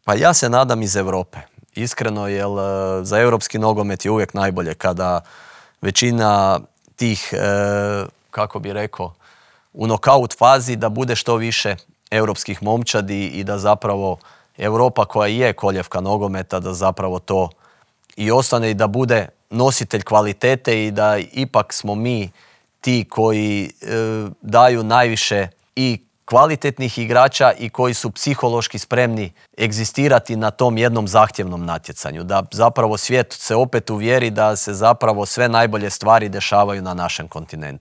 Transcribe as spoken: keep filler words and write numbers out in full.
Pa ja se nadam iz Europe. Iskreno, jer za europski nogomet je uvijek najbolje kada većina tih, kako bi rekao, u nokaut fazi da bude što više europskih momčadi i da zapravo Europa koja je koljevka nogometa, da zapravo to i ostane i da bude nositelj kvalitete i da ipak smo mi ti koji e, daju najviše i kvalitetnih igrača i koji su psihološki spremni egzistirati na tom jednom zahtjevnom natjecanju. Da zapravo svijet se opet uvjeri da se zapravo sve najbolje stvari dešavaju na našem kontinentu.